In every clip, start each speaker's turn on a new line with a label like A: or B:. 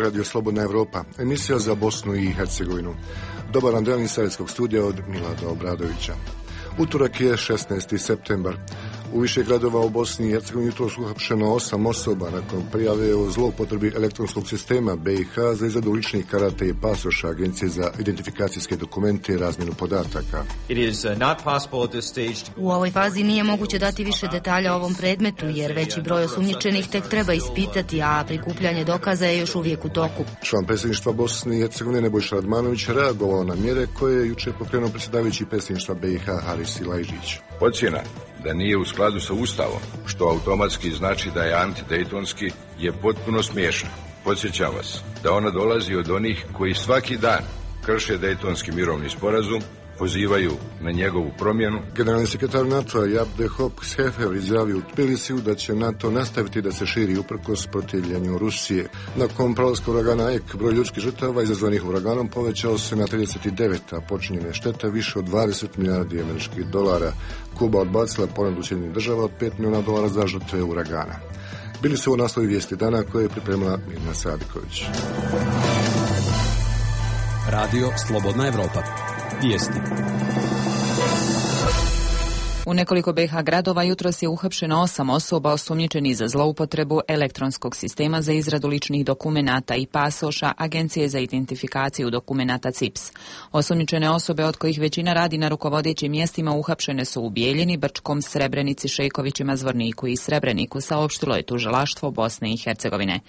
A: Radio Slobodna Evropa, emisija za Bosnu i Hercegovinu. Dobar vam dan iz savjetskog studija od Milada Obradovića. Utorak je 16. septembar. U više gradova u Bosni i Hercegovini jutros uhapšeno 8 osoba nakon prijave o zloupotrebi elektronskog sistema BiH za izradu ličnih karata i pasoša Agencije za identifikacijske dokumente i razmjenu podataka.
B: U ovoj fazi nije moguće dati više detalja o ovom predmetu, jer veći broj osumnjičenih tek treba ispitati, a prikupljanje dokaza je još uvijek u toku.
A: Član predsjedništva Bosne i Hercegovine Nebojša Radmanović reagovao na mjere koje je jučer pokrenuo predsjedavajući predsjedništva BiH Haris Silajdžić.
C: Ocjena da nije u skladu sa Ustavom, što automatski znači da je antidejtonski, je potpuno smiješna. Podsjećam vas da ona dolazi od onih koji svaki dan krše dejtonski mirovni sporazum, pozivaju na njegovu promjenu.
A: Generalni sekretar NATO-a Jaap de Hoop Scheffer izjavio u Tbilisiju da će NATO nastaviti da se širi uprkos protivljenju Rusije. Nakon prolaska uragana Ek, broj ljudskih žrtava izazvanih uraganom povećao se na 39, a počinjene štete više od 20 milijardi američkih dolara. Kuba odbacila ponudu Sjedinjenih država od $5 milijuna za žrtve uragana. Bili su ovo naslovi vijesti dana koje je pripremila Mirna Sadiković.
D: Radio Slobodna Evropa. Vijesti.
E: U nekoliko BiH gradova jutros je uhapšeno 8 osoba osumnjičenih za zloupotrebu elektronskog sistema za izradu ličnih dokumenata i pasoša Agencije za identifikaciju dokumenata CIPS. Osumnjičene osobe, od kojih većina radi na rukovodećim mjestima, uhapšene su u Bijeljini, Brčkom, Srebrenici, Šejkovićima, Zvorniku i Srebreniku, saopštilo je tužilaštvo Bosne i Hercegovine.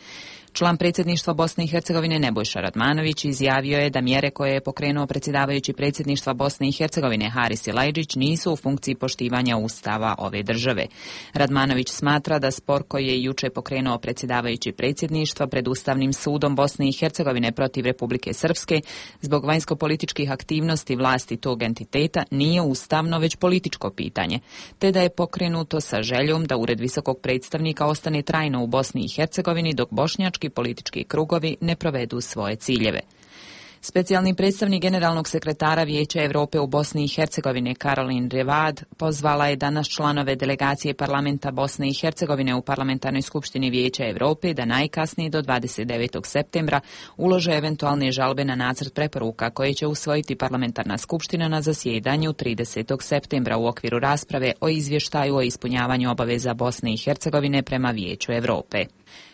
E: Član predsjedništva Bosne i Hercegovine Nebojša Radmanović izjavio je da mjere koje je pokrenuo predsjedavajući predsjedništva Bosne i Hercegovine Haris Silajdžić nisu u funkciji poštivanja ustava ove države. Radmanović smatra da spor koji je jučer pokrenuo predsjedavajući predsjedništva pred Ustavnim sudom Bosne i Hercegovine protiv Republike Srpske zbog vanjskopolitičkih aktivnosti vlasti tog entiteta nije ustavno već političko pitanje, te da je pokrenuto sa željom da Ured visokog predstavnika ostane trajno u Bosni i Hercegovini dok bošnjački politički krugovi ne provedu svoje ciljeve. Specijalni predstavnik generalnog sekretara Vijeća Europe u Bosni i Hercegovine Caroline Revad pozvala je danas članove delegacije parlamenta Bosne i Hercegovine u Parlamentarnoj skupštini Vijeća Europe da najkasnije do 29. septembra ulože eventualne žalbe na nacrt preporuka koje će usvojiti parlamentarna skupština na zasjedanju 30. septembra u okviru rasprave o izvještaju o ispunjavanju obaveza Bosne i Hercegovine prema Vijeću Europe.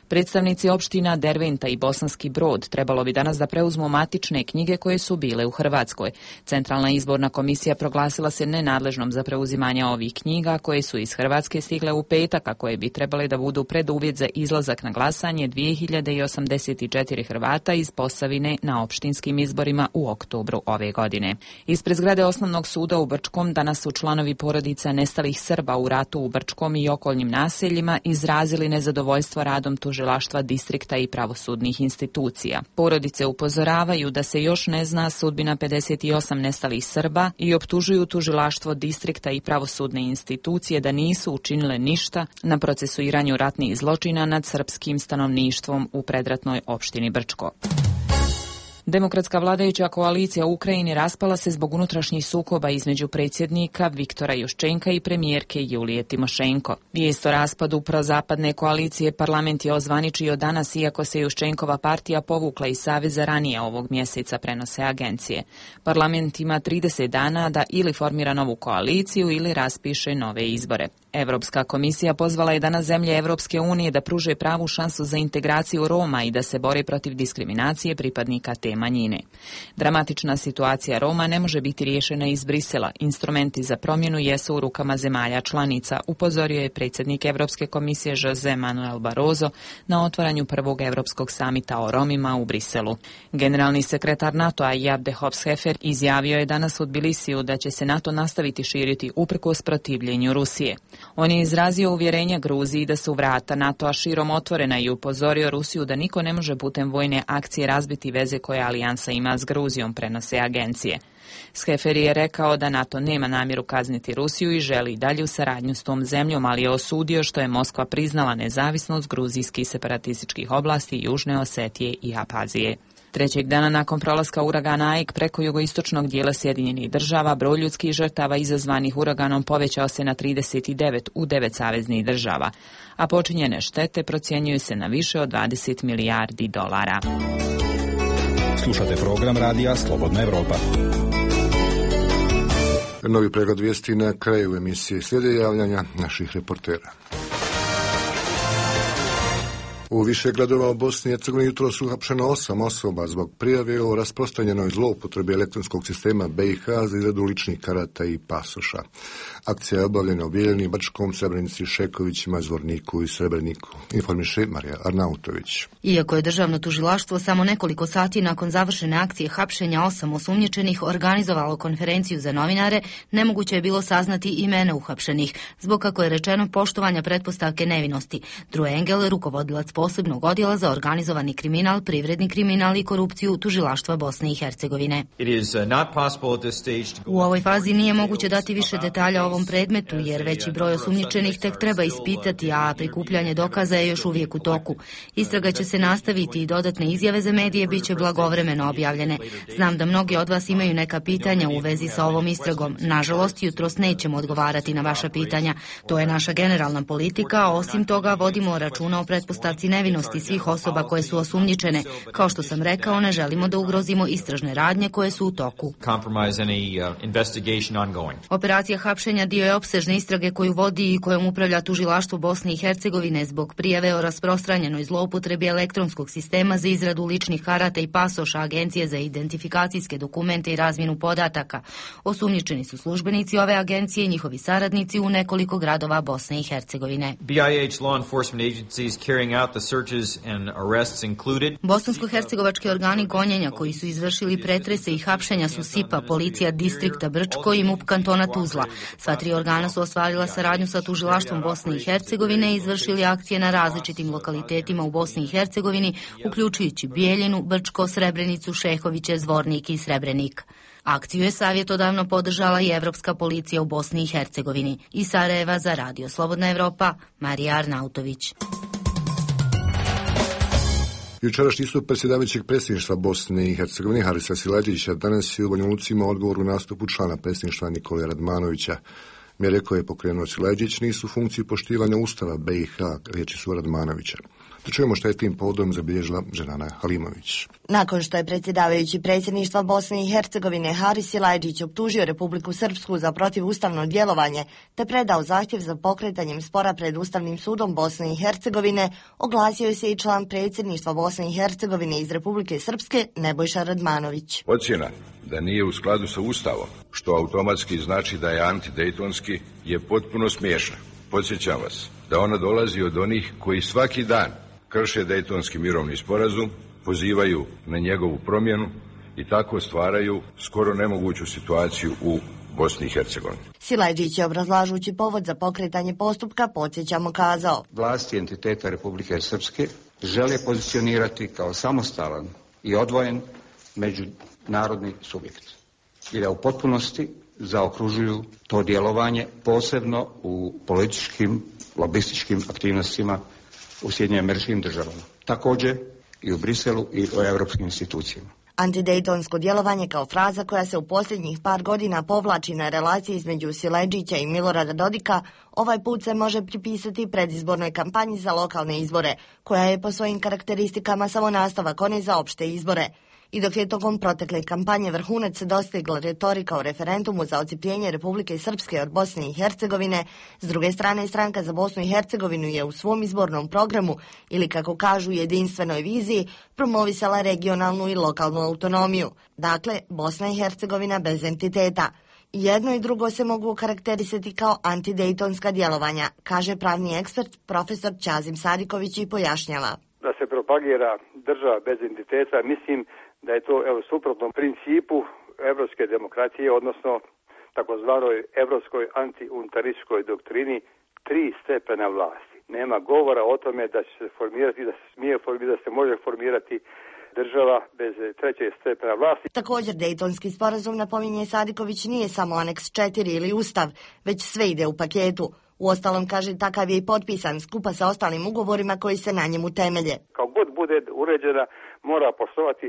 E: Predstavnici opština Derventa i Bosanski Brod trebalo bi danas da preuzmu matične knjige koje su bile u Hrvatskoj. Centralna izborna komisija proglasila se nenadležnom za preuzimanje ovih knjiga koje su iz Hrvatske stigle u petak, a koje bi trebale da budu preduvjet za izlazak na glasanje 2084 Hrvata iz Posavine na opštinskim izborima u oktobru ove godine. Ispred zgrade Osnovnog suda u Brčkom danas su članovi porodica nestalih Srba u ratu u Brčkom i okolnim naseljima izrazili nezadovoljstvo radom tužilaštva distrikta i pravosudnih institucija. Porodice upozoravaju da se još ne zna sudbina 58 nestalih Srba i optužuju tužilaštvo distrikta i pravosudne institucije da nisu učinile ništa na procesuiranju ratnih zločina nad srpskim stanovništvom u predratnoj opštini Brčko. Demokratska vladajuća koalicija u Ukrajini raspala se zbog unutrašnjih sukoba između predsjednika Viktora Juščenka i premijerke Julije Timošenko. Vijest o raspadu prozapadne koalicije parlament je ozvaničio danas, iako se Juščenkova partija povukla iz saveza ranije ovog mjeseca, prenose agencije. Parlament ima 30 dana da ili formira novu koaliciju ili raspiše nove izbore. Europska komisija pozvala je danas zemlje Europske unije da pruže pravu šansu za integraciju Roma i da se bore protiv diskriminacije pripadnika te manjine. Dramatična situacija Roma ne može biti riješena iz Brisela. Instrumenti za promjenu jesu u rukama zemalja članica, upozorio je predsjednik Europske komisije José Manuel Barroso na otvaranju prvog Europskog samita o Romima u Briselu. Generalni sekretar NATO-a Jaap de Hoop Scheffer izjavio je danas u Tbilisiju da će se NATO nastaviti širiti uprkos protivljenju Rusije. On je izrazio uvjerenje Gruziji da su vrata NATO-a širom otvorena i upozorio Rusiju da niko ne može putem vojne akcije razbiti veze koje alijansa ima s Gruzijom, prenose agencije. Scheffer je rekao da NATO nema namjeru kazniti Rusiju i želi dalju saradnju s tom zemljom, ali je osudio što je Moskva priznala nezavisnost gruzijskih separatističkih oblasti Južne Osetije i Abhazije. Trećeg dana nakon prolaska uragana Aik preko jugoistočnog dijela Sjedinjenih država, broj ljudskih žrtava izazvanih uraganom povećao se na 39 u 9 saveznih država, a počinjene štete procjenjuju se na više od 20 milijardi dolara.
D: Slušate program radija Slobodna Evropa.
A: Novi pregled vijesti na kraju emisije. Slijede javljanja naših reportera. U više gradova u Bosni i Hercegovini jutros uhapšeno 8 osoba zbog prijave o rasprostranjenoj zloupotrebi elektronskog sistema BiH za izradu ličnih karata i pasoša. Akcija je obavljena u Bijeljini, Brčkom, Srebrenici, Šekovićima, Zvorniku i Srebreniku. Informiše Marija Arnautović.
B: Iako je državno tužilaštvo samo nekoliko sati nakon završene akcije hapšenja 8 osumnjičenih organizovalo konferenciju za novinare, nemoguće je bilo saznati imena uhapšenih, zbog, kako je rečeno, poštovanja pretpostavke nevinosti. Drew Engel, rukovodilac posebnog odjela za organizovani kriminal, privredni kriminal i korupciju tužilaštva Bosne i Hercegovine. U ovoj fazi nije moguće dati više detalja o ovom predmetu, jer veći broj osumnjičenih tek treba ispitati, a prikupljanje dokaza je još uvijek u toku. Istraga će se nastaviti i dodatne izjave za medije bit će blagovremeno objavljene. Znam da mnogi od vas imaju neka pitanja u vezi sa ovom istragom. Nažalost, jutros nećemo odgovarati na vaša pitanja. To je naša generalna politika, a osim toga vodimo računa o pretpostavci nevinosti svih osoba koje su osumnjičene. Kao što sam rekao, ne želimo da ugrozimo istražne radnje koje su u toku. Operacija hapšenja dio je opsežne istrage koju vodi i kojom upravlja tužilaštvo Bosne i Hercegovine zbog prijave o rasprostranjenoj zloupotrebi elektronskog sistema za izradu ličnih karata i pasoša Agencije za identifikacijske dokumente i razmjenu podataka. Osumnjičeni su službenici ove agencije i njihovi saradnici u nekoliko gradova Bosne i Hercegovine. Bosansko-hercegovački organi gonjenja koji su izvršili pretrese i hapšenja su SIPA, policija distrikta Brčko i MUP kantona Tuzla. Sva tri organa su ostvarila saradnju sa tužilaštvom Bosne i Hercegovine i izvršili akcije na različitim lokalitetima u Bosni i Hercegovini, uključujući Bijeljinu, Brčko, Srebrenicu, Šehoviće, Zvornik i Srebrenik. Akciju je savjetodavno podržala i Evropska policija u Bosni i Hercegovini. Iz Sarajeva za Radio Slobodna Evropa, Marija Arnautović.
A: Jučerašnji istup predsjedavajućeg predsjedništva Bosne i Hercegovine Harisa Silajdžića danas je u Banja Luci imao odgovor u nastupu člana predsjedništva Nikole Radmanovića. Mjere koje je pokrenuo Silajdžić nisu u funkciji poštivanja Ustava BiH, riječi su Radmanovića. Da čujemo što je tim povodom zabilježila Ženana Halimović.
F: Nakon što je predsjedavajući predsjedništva Bosne i Hercegovine Haris Silajdžić optužio Republiku Srpsku za protivustavno djelovanje te predao zahtjev za pokretanjem spora pred Ustavnim sudom Bosne i Hercegovine, oglasio se i član predsjedništva Bosne i Hercegovine iz Republike Srpske Nebojša Radmanović.
C: Ocjena da nije u skladu sa Ustavom, što automatski znači da je antidejtonski, je potpuno smiješna. Podsjećam vas da ona dolazi od onih koji svaki dan krše Dejtonski mirovni sporazum, pozivaju na njegovu promjenu i tako stvaraju skoro nemoguću situaciju u Bosni i Hercegovini.
F: Silajdžić je, obrazlažući povod za pokretanje postupka, podsjećamo, kazao:
G: Vlasti entiteta Republike Srpske žele pozicionirati kao samostalan i odvojen međunarodni subjekt i da u potpunosti zaokružuju to djelovanje, posebno u političkim, lobističkim aktivnostima u Sjedinjenim Američkim Državama, također i u Briselu i u europskim institucijama.
F: Antidejtonsko djelovanje kao fraza koja se u posljednjih par godina povlači na relaciji između Silajdžića i Milorada Dodika, ovaj put se može pripisati predizbornoj kampanji za lokalne izbore, koja je po svojim karakteristikama samo nastavak one za opšte izbore. I dok je tokom protekle kampanje vrhunac dostigla retorika o referendumu za odcijepljenje Republike Srpske od Bosne i Hercegovine, s druge strane Stranka za Bosnu i Hercegovinu je u svom izbornom programu, ili kako kažu jedinstvenoj viziji, promovisala regionalnu i lokalnu autonomiju. Dakle, Bosna i Hercegovina bez entiteta. Jedno i drugo se mogu karakterisati kao antidejtonska djelovanja, kaže pravni ekspert profesor Ćazim Sadiković i pojašnjava.
H: Da se propagira država bez entiteta, mislim da je to suprotno principu evropske demokracije, odnosno takozvanoj evropskoj antiunitarističkoj doktrini 3 stepena vlasti. Nema govora o tome da će se formirati, da se smije formirati, da se može formirati država bez 3. stepena vlasti.
F: Također, Dejtonski sporazum, napominje Sadiković, nije samo aneks 4 ili ustav, već sve ide u paketu. Uostalom, kaže, takav je i potpisan skupa sa ostalim ugovorima koji se na njemu temelje.
H: Kao god bude uređena, mora poštovati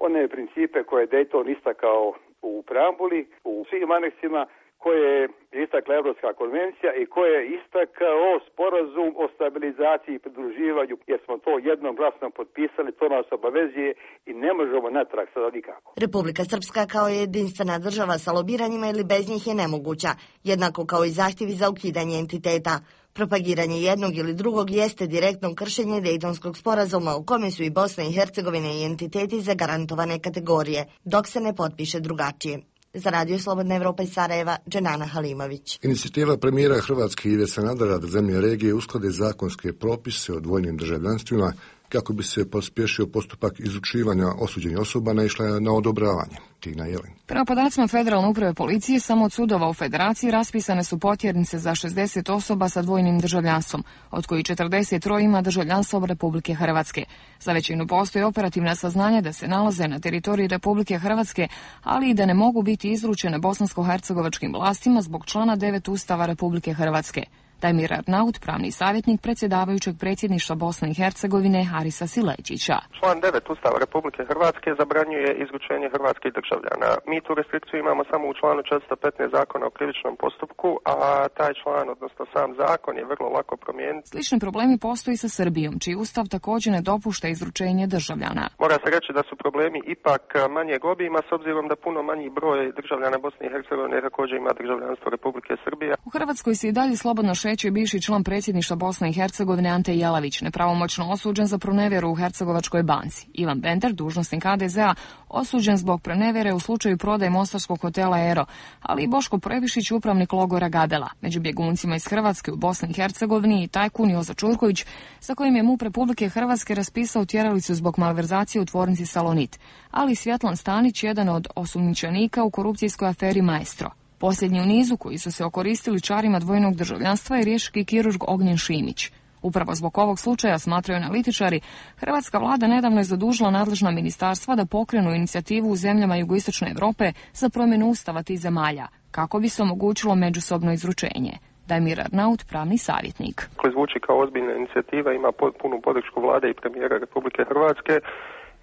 H: one principe koje je Dayton istakao u preambuli, u svim aneksima, koje je istakla Evropska konvencija i koje je istakao sporazum o stabilizaciji i pridruživanju, jer smo to jednoglasno potpisali, to nas obavezuje i ne možemo natrag sada nikako.
F: Republika Srpska kao jedinstvena država sa lobiranjima ili bez njih je nemoguća, jednako kao i zahtjevi za ukidanje entiteta. Propagiranje jednog ili drugog jeste direktno kršenje Dejtonskog sporazuma u kome su i Bosna i Hercegovina i entiteti zagarantovane kategorije, dok se ne potpiše drugačije. Za Radio Slobodna Evropa iz Sarajeva, Dženana Halimović.
A: Inicijativa premijera Hrvatske Ive Sanadera da zemlje regije usklade zakonske propise o dvojnim državljanstvima kako bi se pospješio postupak izučivanja osuđenih osoba naišla je na odobravanje. Tina Jelin.
I: Prema podacima Federalne uprave policije, samo od sudova u Federaciji raspisane su potjernice za 60 osoba sa dvojnim državljanstvom, od kojih 43 ima državljanstvo Republike Hrvatske. Za većinu postoji operativna saznanja da se nalaze na teritoriji Republike Hrvatske, ali i da ne mogu biti izručene bosansko-hercegovačkim vlastima zbog člana 9 Ustava Republike Hrvatske. Damir Arnaut, pravni savjetnik predsjedavajućeg predsjedništva Bosne i Hercegovine Harisa Sileđića.
J: Član 9 Ustava Republike Hrvatske zabranjuje izručenje hrvatskih državljana. Mi tu restrikciju imamo samo u članu 415 Zakona o krivičnom postupku, a taj član, odnosno sam zakon, je vrlo lako promijeniti.
I: Slični problemi postoji sa Srbijom, čiji ustav također ne dopušta izručenje državljana.
J: Mora se reći da su problemi ipak manjeg obima, s obzirom da puno manji broj državljana Bosne i Hercegovine također ima državljanstvo Republike Srbije.
I: U Hrvatskoj se i dalje slobodno šeće bivši član predsjedništva Bosne i Hercegovine Ante Jelavić, nepravomoćno osuđen za pronevjeru u Hercegovačkoj banci. Ivan Bender, dužnosnik HDZ-a, osuđen zbog pronevjere u slučaju prodaje mostarskog hotela Ero, ali i Boško Previšić, upravnik logora Gadela. Među bjeguncima iz Hrvatske u Bosni i Hercegovini i tajkun Jozo Čurković, sa kojim je MUP Republike Hrvatske raspisao tjeralicu zbog malverzacije u tvornici Salonit, ali i Svjetlan Stanić, jedan od osumnjičenika u korupcijskoj aferi Maestro. Posljednji u nizu koji su se okoristili čarima dvojnog državljanstva je riječki kirurg Ognjen Šimić. Upravo zbog ovog slučaja, smatraju analitičari, hrvatska vlada nedavno je zadužila nadležna ministarstva da pokrenu inicijativu u zemljama jugoistočne Europe za promjenu ustava tih zemalja, kako bi se omogućilo međusobno izručenje. Damir Arnaut, pravni savjetnik.
J: Zvuči kao ozbiljna inicijativa, ima punu podršku vlade i premijera Republike Hrvatske.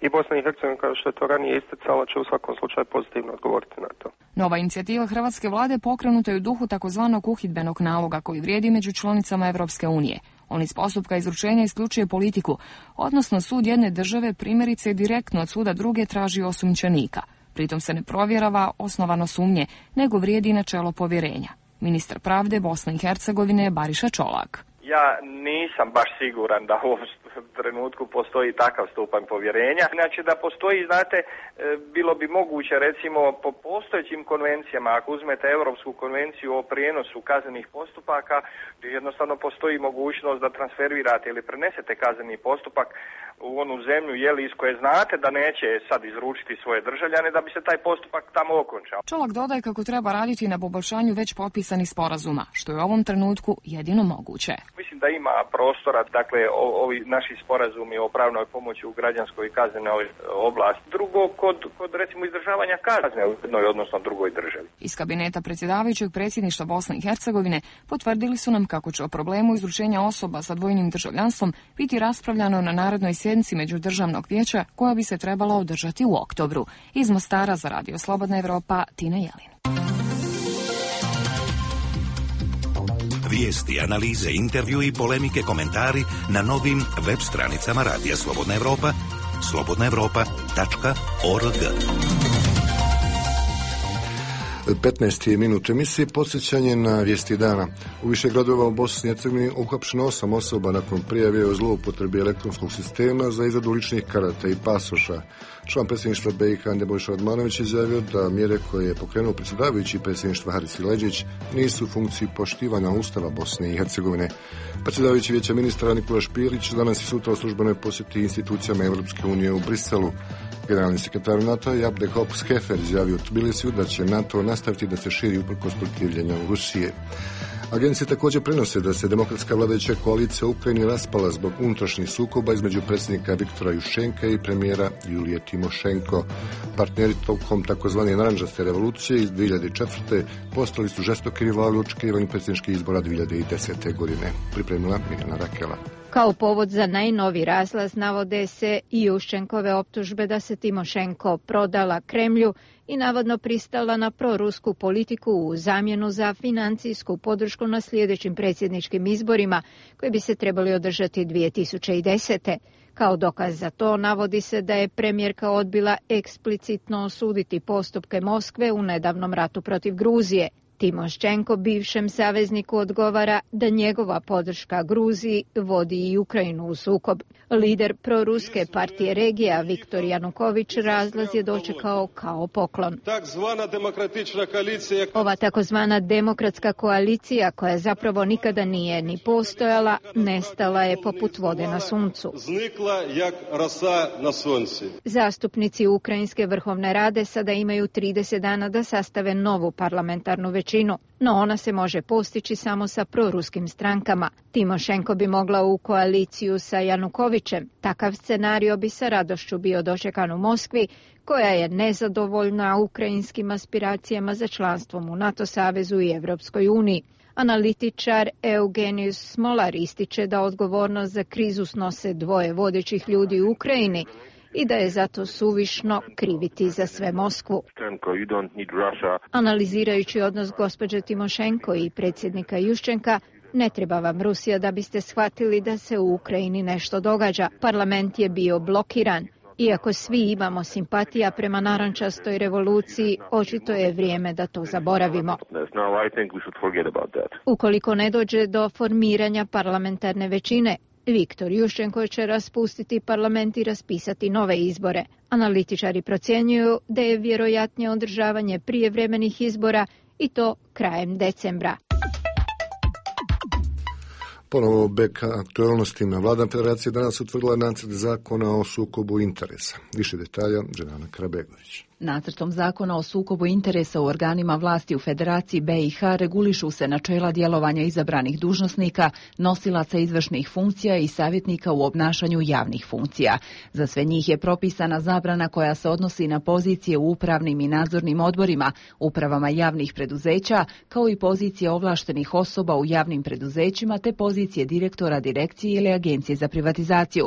J: I Bosna i Hercegovina, kao što je to ranije isticala, će u svakom slučaju pozitivno odgovoriti na to.
I: Nova inicijativa hrvatske vlade pokrenuta je u duhu takozvanog uhidbenog naloga koji vrijedi među članicama Evropske unije. On iz postupka izručenja isključuje politiku, odnosno sud jedne države primjerice direktno od suda druge traži osumnjičenika. Pritom se ne provjerava osnovano sumnje, nego vrijedi načelo povjerenja. Ministar pravde Bosne i Hercegovine Bariša Čolak.
K: Ja nisam baš siguran da u ovom trenutku postoji takav stupanj povjerenja. Znači da postoji, znate, bilo bi moguće recimo po postojećim konvencijama, ako uzmete Europsku konvenciju o prijenosu kaznenih postupaka, jednostavno postoji mogućnost da transferirate ili prenesete kazneni postupak u onu zemlju iz koje znate da neće sad izručiti svoje državljane da bi se taj postupak tamo okončao.
I: Čolak dodaje kako treba raditi na poboljšanju već potpisanih sporazuma, što je u ovom trenutku jedino moguće.
K: Mislim da ima prostora, dakle, ovi naši sporazumi o pravnoj pomoći u građanskoj i kaznenoj oblasti. Drugo, kod recimo izdržavanja kazne u jednoj, odnosno drugoj državi.
I: Iz kabineta predsjedavajućeg predsjedništva Bosne i Hercegovine potvrdili su nam kako će o problemu izručenja osoba sa dvojnim državljanstvom biti raspravljano na narednoj sjednici Međudržavnog vijeća koja bi se trebala održati u oktobru. Iz Mostara za Radio Slobodna Evropa, Tina Jelin.
L: Vijesti, analize, intervju i polemike, komentari na novim web stranicama Radija Slobodna Evropa, slobodnaevropa.org.
A: 15. minut emisije podsjećanje na vijesti dana. U više gradova u Bosni i Hercegovini uhapšeno 8 osoba nakon prijave o zloupotrebi elektronskog sistema za izradu ličnih karata i pasoša. Član predsjedništva BiH Nebojša Radmanović izjavio da mjere koje je pokrenuo predsjedavajući predsjedništva Haris Sileđić nisu u funkciji poštivanja Ustava Bosne i Hercegovine. Predsjedavajući vijeća ministra Nikola Špirić danas i sutra u službenoj posjeti institucijama Europske unije u Briselu. Generalni sekretar NATO Jabde Hopp-Skefer izjavio u Tbilisiju da će NATO nastaviti da se širi uprkos protivljenja Rusije. Agencije također prenose da se demokratska vladajuća koalicija u Ukrajini raspala zbog unutrašnjih sukoba između predsjednika Viktora Juščenka i premijera Julije Timošenko. Partneri tokom takozvane narančaste revolucije iz 2004. postali su žestoki rivali u očekivanju predsjedničkih izbora 2010. godine. Pripremila Mirjana Rakela.
M: Kao povod za najnoviji razlaz navode se i Juščenkove optužbe da se Timošenko prodala Kremlju i navodno pristala na prorusku politiku u zamjenu za financijsku podršku na sljedećim predsjedničkim izborima koji bi se trebali održati 2010. Kao dokaz za to navodi se da je premijerka odbila eksplicitno osuditi postupke Moskve u nedavnom ratu protiv Gruzije. Timošenko bivšem savezniku odgovara da njegova podrška Gruziji vodi i Ukrajinu u sukob. Lider proruske partije regija Viktor Januković razlaz je dočekao kao poklon. Ova takozvana demokratska koalicija, koja zapravo nikada nije ni postojala, nestala je poput vode na suncu. Zastupnici Ukrajinske vrhovne rade sada imaju 30 dana da sastave novu parlamentarnu većinu, no ona se može postići samo sa proruskim strankama. Timošenko bi mogla u koaliciju sa Janukovićem. Takav scenario bi sa radošću bio dočekan u Moskvi, koja je nezadovoljna ukrajinskim aspiracijama za članstvom u NATO savezu i Europskoj uniji. Analitičar Eugenius Smolar ističe da odgovornost za krizu snose dvoje vodećih ljudi u Ukrajini i da je zato suvišno kriviti za sve Moskvu. Analizirajući odnos gospođe Timošenko i predsjednika Juščenka, ne treba vam Rusija da biste shvatili da se u Ukrajini nešto događa. Parlament je bio blokiran. Iako svi imamo simpatija prema narančastoj revoluciji, očito je vrijeme da to zaboravimo. Ukoliko ne dođe do formiranja parlamentarne većine, Viktor Juščenko će raspustiti parlament i raspisati nove izbore. Analitičari procjenjuju da je vjerojatnije održavanje prijevremenih izbora i to krajem decembra.
A: Ponovo bek aktualnostima. Vlada Federacije danas utvrdila nacrt zakona o sukobu interesa. Više detalja, Dženana Karabegović.
E: Nacrtom zakona o sukobu interesa u organima vlasti u Federaciji BiH regulišu se načela djelovanja izabranih dužnosnika, nosilaca izvršnih funkcija i savjetnika u obnašanju javnih funkcija. Za sve njih je propisana zabrana koja se odnosi na pozicije u upravnim i nadzornim odborima, upravama javnih preduzeća, kao i pozicije ovlaštenih osoba u javnim preduzećima te pozicije direktora direkcije ili agencije za privatizaciju.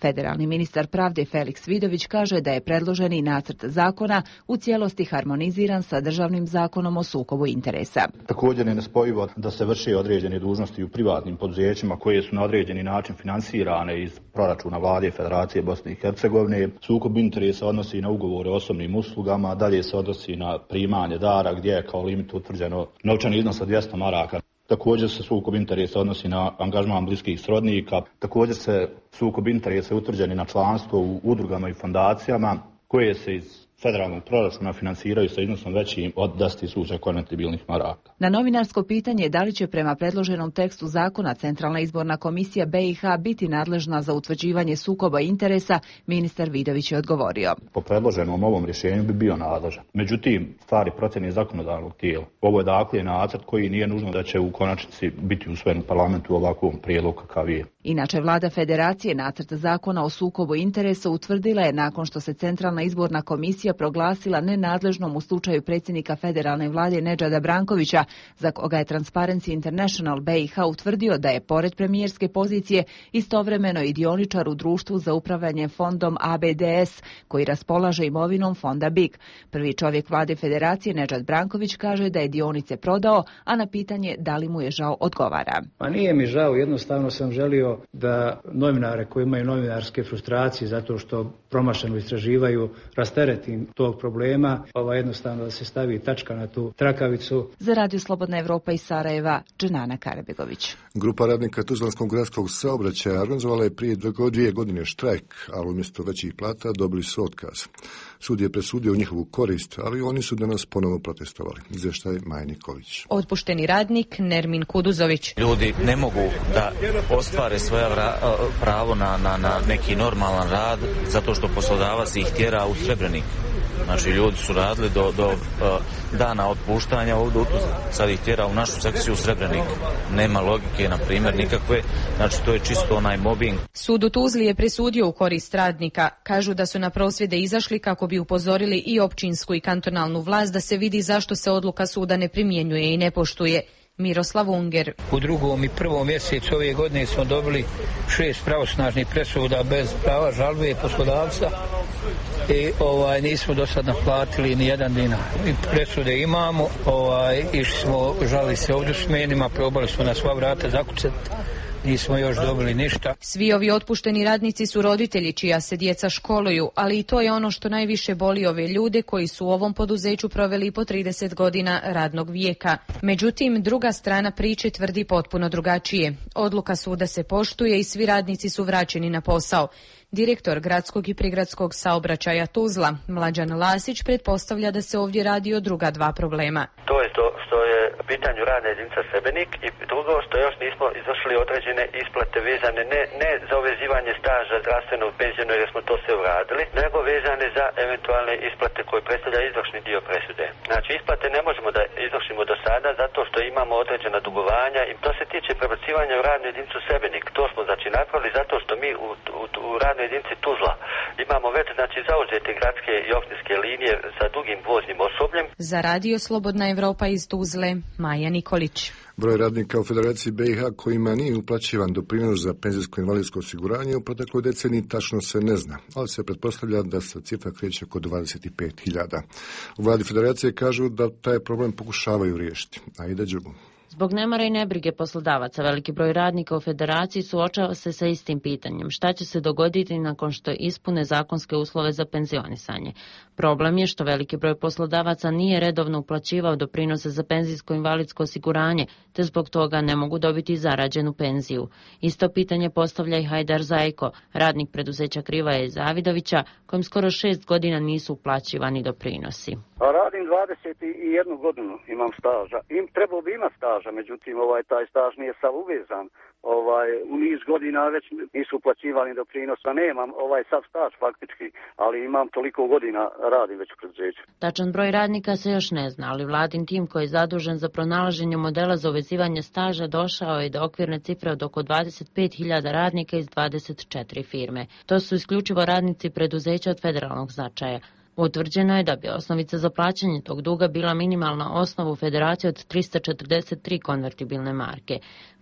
E: Federalni ministar pravde Feliks Vidović kaže da je predloženi nacrt zakona u cijelosti harmoniziran sa državnim zakonom o sukobu interesa.
N: Također je nespojivo da se vrše određene dužnosti u privatnim poduzećima koje su na određeni način finansirane iz proračuna Vlade Federacije Bosne i Hercegovine. Sukob interesa odnosi na ugovore o osobnim uslugama, dalje se odnosi na primanje dara gdje je kao limit utvrđeno novčani iznos od 200 maraka. Također se sukob interesa odnosi na angažman bliskih srodnika. Također se sukob interesa utvrđeni na članstvo u udrugama i fondacijama koje se iz federalnog proračuna finansiraju sa iznosom većim od 10.000 konvertibilnih maraka.
E: Na novinarsko pitanje da li će prema predloženom tekstu zakona Centralna izborna komisija BiH biti nadležna za utvrđivanje sukoba interesa, ministar Vidović je odgovorio.
N: Po predloženom ovom rješenju bi bio nadležan. Međutim, stvari procjene zakonodavnog tijela. Ovo je dakle nacrt koji nije nužno da će u konačnici biti usvojen u parlamentu u ovakvom prijedlogu kakav je.
E: Inače, vlada Federacije nacrt zakona o sukobu interesa utvrdila je nakon što se Centralna izborna komisija proglasila nenadležnom u slučaju predsjednika federalne vlade Nedžada Brankovića, za koga je Transparency International BiH utvrdio da je pored premijerske pozicije istovremeno i dioničar u društvu za upravljanje fondom ABDS, koji raspolaže imovinom fonda BIG. Prvi čovjek vlade Federacije Nedžad Branković kaže da je dionice prodao, a na pitanje da li mu je žao odgovara.
O: Pa nije mi žao, jednostavno sam želio da novinare koji imaju novinarske frustracije zato što promašeno istraživaju rasteretim tog problema, jednostavno da se stavi tačka na tu trakavicu.
E: Za Radio Slobodna Evropa iz Sarajeva, Dženana Karabegović.
A: Grupa radnika Tuzlanskog gradskog saobraćaja organizovala je prije 2 godine štrajk, ali umjesto većih plata dobili su otkaz. Sud je presudio u njihovu korist, ali oni su danas ponovo protestovali. Izvještaj Maja Nikolić.
B: Otpušteni radnik Nermin Kuduzović.
P: Ljudi ne mogu da ostvare svoja pravo na neki normalan rad zato što poslodavac ih tjera u Srebrenik. Znači, ljudi su radili do dana otpuštanja ovdje, sad ih tjera u našu sekciju u Srebrenik. Nema logike, na primjer, nikakve. Znači, to je čisto onaj mobbing.
B: Sud u Tuzli je presudio u korist radnika. Kažu da su na prosvjede izašli kako bi upozorili i općinsku i kantonalnu vlast da se vidi zašto se odluka suda ne primjenjuje i ne poštuje.
E: Miroslav Unger.
Q: U drugom i prvom mjesecu ove godine smo dobili 6 pravosnažnih presuda bez prava žalbe poslodavca i nismo do sad naplatili ni jedan dinar. I presude imamo, išli smo, žalili se ovdje s menima, probali smo na sva vrata zakucati. Nismo još dobili ništa.
E: Svi ovi otpušteni radnici su roditelji čija se djeca školuju, ali i to je ono što najviše boli ove ljude koji su u ovom poduzeću proveli po 30 godina radnog vijeka. Međutim, druga strana priče tvrdi potpuno drugačije. Odluka suda se poštuje i svi radnici su vraćeni na posao. Direktor gradskog i prigradskog saobraćaja Tuzla, Mlađan Lasić, pretpostavlja da se ovdje radi o druga dva problema.
R: To je to što je u pitanju radna jedinica Sebenik i drugo što još nismo izvršili određene isplate vezane ne za uvezivanje staža zdravstvenog penzijona jer smo to sve uradili, nego vezane za eventualne isplate koje predstavlja izvršni dio presude. Znači isplate ne možemo da izvršimo do sada zato što imamo određena dugovanja i to se tiče prebacivanja u radnu jedinicu Sebenik. To smo znači napravili zato što mi u radnoj jedinici Tuzla imamo već znači zauzete gradske i općinske linije sa dugim voznim osobljem.
E: Za Radio Slobodna Evropa iz Tuzle, Maja Nikolić.
A: Broj radnika u Federaciji BiH kojima nije uplaćivan doprinos za penzijsko-invalidsko osiguranje u protekloj deceniji tačno se ne zna, ali se pretpostavlja da se cifra kreće oko 25.000. U vladi Federacije kažu da taj problem pokušavaju riješiti. Aida Đugum.
S: Zbog nemara i nebrige poslodavaca, veliki broj radnika u Federaciji suočava se sa istim pitanjem. Šta će se dogoditi nakon što ispune zakonske uslove za penzionisanje? Problem je što veliki broj poslodavaca nije redovno uplaćivao doprinose za penzijsko-invalidsko osiguranje, te zbog toga ne mogu dobiti zarađenu penziju. Isto pitanje postavlja i Hajdar Zajko, radnik preduzeća Krivaja i Zavidovića, kojem skoro 6 godina nisu uplaćivani doprinosi.
T: Radim 21 godinu, imam staža. Trebao bi imati staža, međutim taj staž nije sav uvezan. U niz godina već nisu uplaćivani doprinosa. Nemam sav staž faktički, ali imam toliko godina radim već u preduzeću.
S: Tačan broj radnika se još ne zna, ali vladin tim koji je zadužen za pronalaženje modela za uvezivanje staža došao je do okvirne cifre od oko 25.000 radnika iz 24 firme. To su isključivo radnici preduzeća od federalnog značaja. Utvrđeno je da bi osnovica za plaćanje tog duga bila minimalna osnova u Federaciji od 343 konvertibilne marke.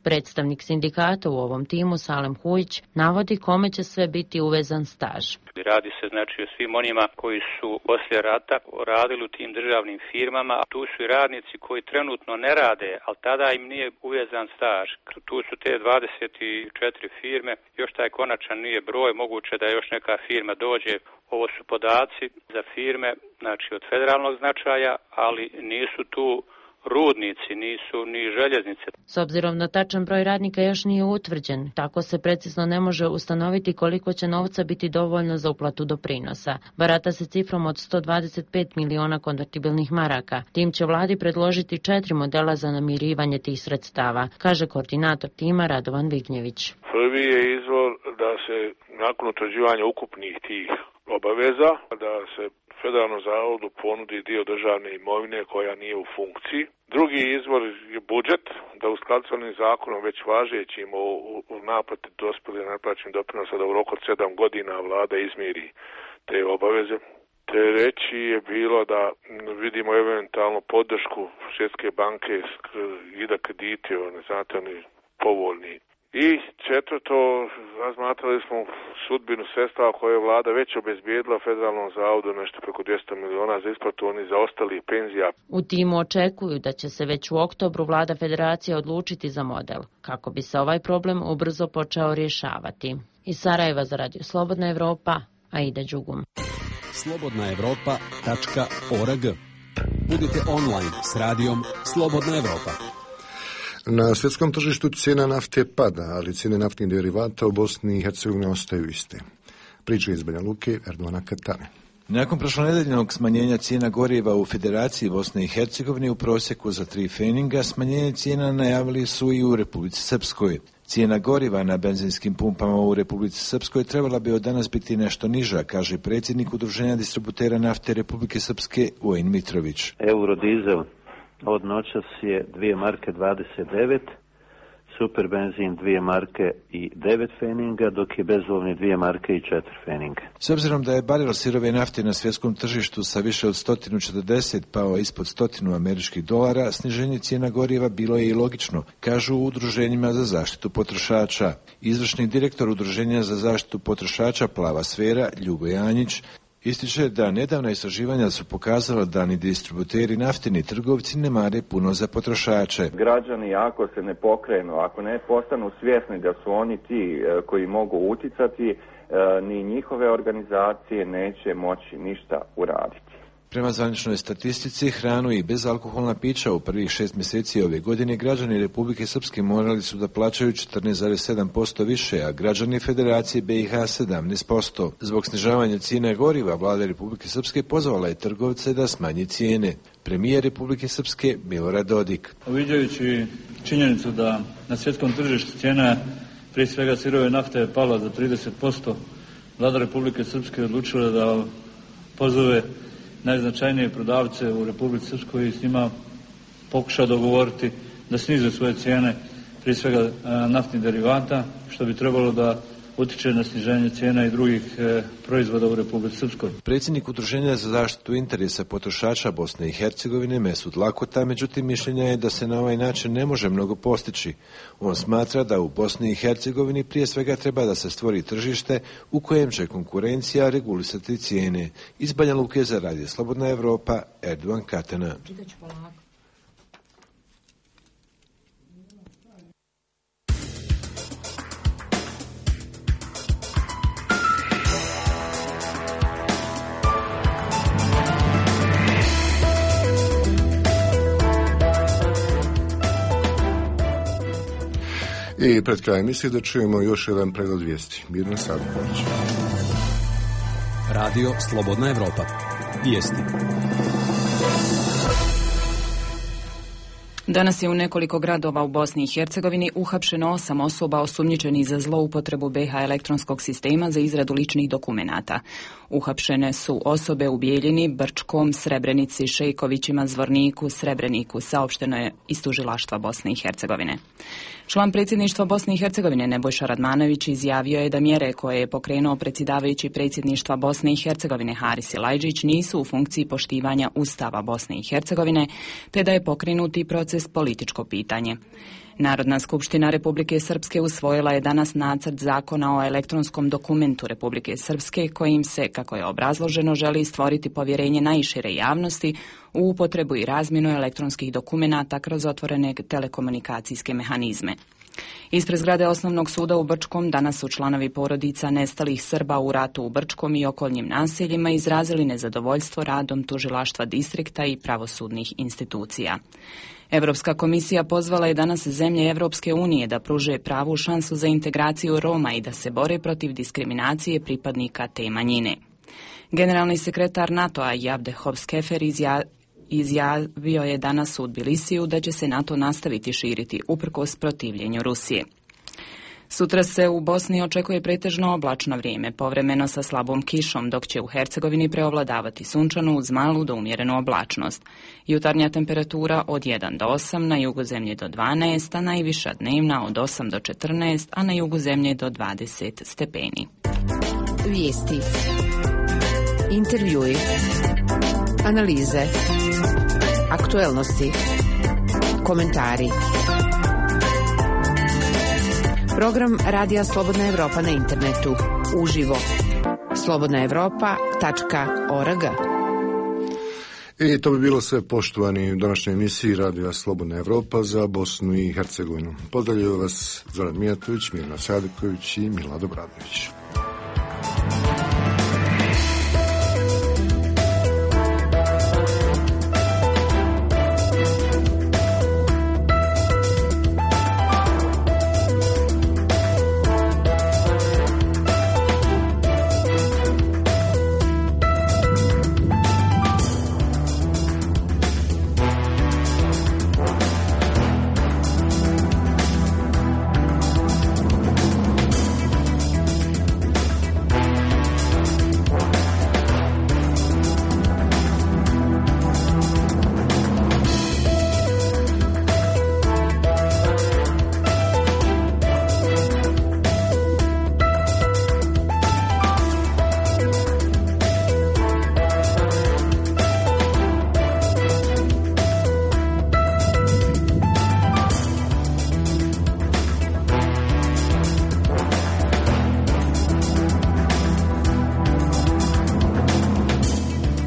S: Predstavnik sindikata u ovom timu, Salem Hujić, navodi kome će sve biti uvezan staž.
U: Radi se znači o svim onima koji su poslije rata radili u tim državnim firmama. Tu su i radnici koji trenutno ne rade, ali tada im nije uvezan staž. Tu su te 24 firme, još taj konačan nije broj, moguće da još neka firma dođe. Ovo su podaci za firme, znači od federalnog značaja, ali nisu tu rudnici, nisu ni željeznice.
S: S obzirom na tačan broj radnika još nije utvrđen, tako se precizno ne može ustanoviti koliko će novca biti dovoljno za uplatu doprinosa. Barata se cifrom od 125 miliona konvertibilnih maraka. Tim će vladi predložiti 4 modela za namirivanje tih sredstava, kaže koordinator tima Radovan Vignjević.
V: Prvi je izvor da se nakon utvrđivanja ukupnih tih obaveza, da se Federalnom zavodu ponudi dio državne imovine koja nije u funkciji. Drugi izvor je budžet, da u skladu s onim zakonom već važećim u naplati dospjelih neplaćenih doprinosa da u roku od 7 godina vlada izmiri te obaveze. Treći je bilo da vidimo eventualno podršku Svjetske banke i da krediti, znate, oni povoljni. I četvrto, razmatrali smo sudbinu sredstava koje je vlada već obezbijedila Federalnom zavodu nešto preko 200 miliona za isplatu onih zaostalih penzija.
S: U timu očekuju da će se već u oktobru vlada Federacije odlučiti za model, kako bi se ovaj problem ubrzo počeo rješavati. Iz Sarajeva za Radio Slobodna Evropa, Aida Đugum.
D: slobodnaevropa.org. Budite online s radijom Slobodna Evropa.
A: Na svjetskom tržištu cijena nafte pada, ali cijene naftnih derivata u Bosni i Hercegovini ostaju iste. Priča iz Banja Luke, Erdovana Katane.
W: Nakon prošlonedeljnog smanjenja cijena goriva u Federaciji Bosne i Hercegovine u prosjeku za 3 feninga, smanjenje cijena najavili su i u Republici Srpskoj. Cijena goriva na benzinskim pumpama u Republici Srpskoj trebala bi od danas biti nešto niža, kaže predsjednik Udruženja distributera nafte Republike Srpske Vojin Mitrović.
X: Eurodizel od noćas je 2 marke 29,
C: super benzin 2 marke i 9 feninga, dok je bezolovni 2 marke i 4 feninga.
W: S obzirom da je barel sirove nafte na svjetskom tržištu sa više od 140 pao ispod $100 sniženje cijena goriva bilo je i logično, kažu u udruženjima za zaštitu potrošača. Izvršni direktor Udruženja za zaštitu potrošača Plava sfera, Ljubo Janjić, ističe da nedavna istraživanja su pokazala da ni distributeri nafte ni trgovci ne mare puno za potrošače.
G: Građani ako se ne pokrenu, ako ne postanu svjesni da su oni ti koji mogu uticati, ni njihove organizacije neće moći ništa uraditi.
W: Prema zvaničnoj statistici, hranu i bezalkoholna pića u prvih 6 mjeseci ove godine građani Republike Srpske morali su da plaćaju 14,7% više, a građani Federacije BiH 17%. Zbog snižavanja cijene goriva, vlada Republike Srpske pozvala je trgovce da smanji cijene. Premijer Republike Srpske Milorad Dodik.
H: Uviđajući činjenicu da na svjetskom tržištu cijena prije svega sirove nafte je pala za 30%, vlada Republike Srpske odlučila da pozove najznačajnije prodavce u Republici Srpskoj i s njima pokuša dogovoriti da snize svoje cijene, prije svega naftnih derivata, što bi trebalo da utiče na sniženje cijena i drugih proizvoda u Republici Srpskoj.
W: Predsjednik Udruženja za zaštitu interesa potrošača Bosne i Hercegovine Mesut Lakota, međutim, mišljenja je da se na ovaj način ne može mnogo postići. On smatra da u Bosni i Hercegovini prije svega treba da se stvori tržište u kojem će konkurencija regulisati cijene. Iz Banja Luke za Radio Slobodna Evropa, Erdogan Katana.
A: I pred krajem misli da čujemo još jedan pregled vijesti. Mirna Sadković.
D: Radio Slobodna Evropa. Vijesti.
E: Danas je u nekoliko gradova u Bosni i Hercegovini uhapšeno 8 osoba osumnjičenih za zloupotrebu BiH elektronskog sistema za izradu ličnih dokumenata. Uhapšene su osobe u Bijeljini, Brčkom, Srebrenici, Šejkovićima, Zvorniku, Srebreniku, saopšteno je iz tužilaštva Bosne i Hercegovine. Član predsjedništva Bosne i Hercegovine Nebojša Radmanović izjavio je da mjere koje je pokrenuo predsjedavajući predsjedništva Bosne i Hercegovine Haris Silajdžić nisu u funkciji poštivanja Ustava Bosne i Hercegovine, te da je pokrenuti proces političko pitanje. Narodna skupština Republike Srpske usvojila je danas nacrt zakona o elektronskom dokumentu Republike Srpske kojim se, kako je obrazloženo, želi stvoriti povjerenje najšire javnosti u upotrebu i razmjenu elektronskih dokumenata kroz otvorene telekomunikacijske mehanizme. Ispred zgrade Osnovnog suda u Brčkom danas su članovi porodica nestalih Srba u ratu u Brčkom i okolnim naseljima izrazili nezadovoljstvo radom tužilaštva distrikta i pravosudnih institucija. Europska komisija pozvala je danas zemlje Evropske unije da pruže pravu šansu za integraciju Roma i da se bore protiv diskriminacije pripadnika te manjine. Generalni sekretar NATO-a Jabdehov Skefer izjavio je danas u Tbilisiju da će se NATO nastaviti širiti uprkos protivljenju Rusije. Sutra se u Bosni očekuje pretežno oblačno vrijeme, povremeno sa slabom kišom, dok će u Hercegovini preovladavati sunčanu uz malu do umjerenu oblačnost. Jutarnja temperatura od 1 do 8, na jugu zemlje do 12, a najviša dnevna od 8 do 14, a na jugu zemlje do 20 stepeni.
X: Vijesti. Intervjui. Analize. Aktuelnosti. Komentari. Program Radija Slobodna Evropa na internetu. Uživo. slobodnaevropa.org.
A: I to bi bilo sve, poštovani, u današnjoj emisiji Radija Slobodna Evropa za Bosnu i Hercegovinu. Pozdravljaju vas Zoran Mijatović, Mirna Sadiković i Milado Bradović.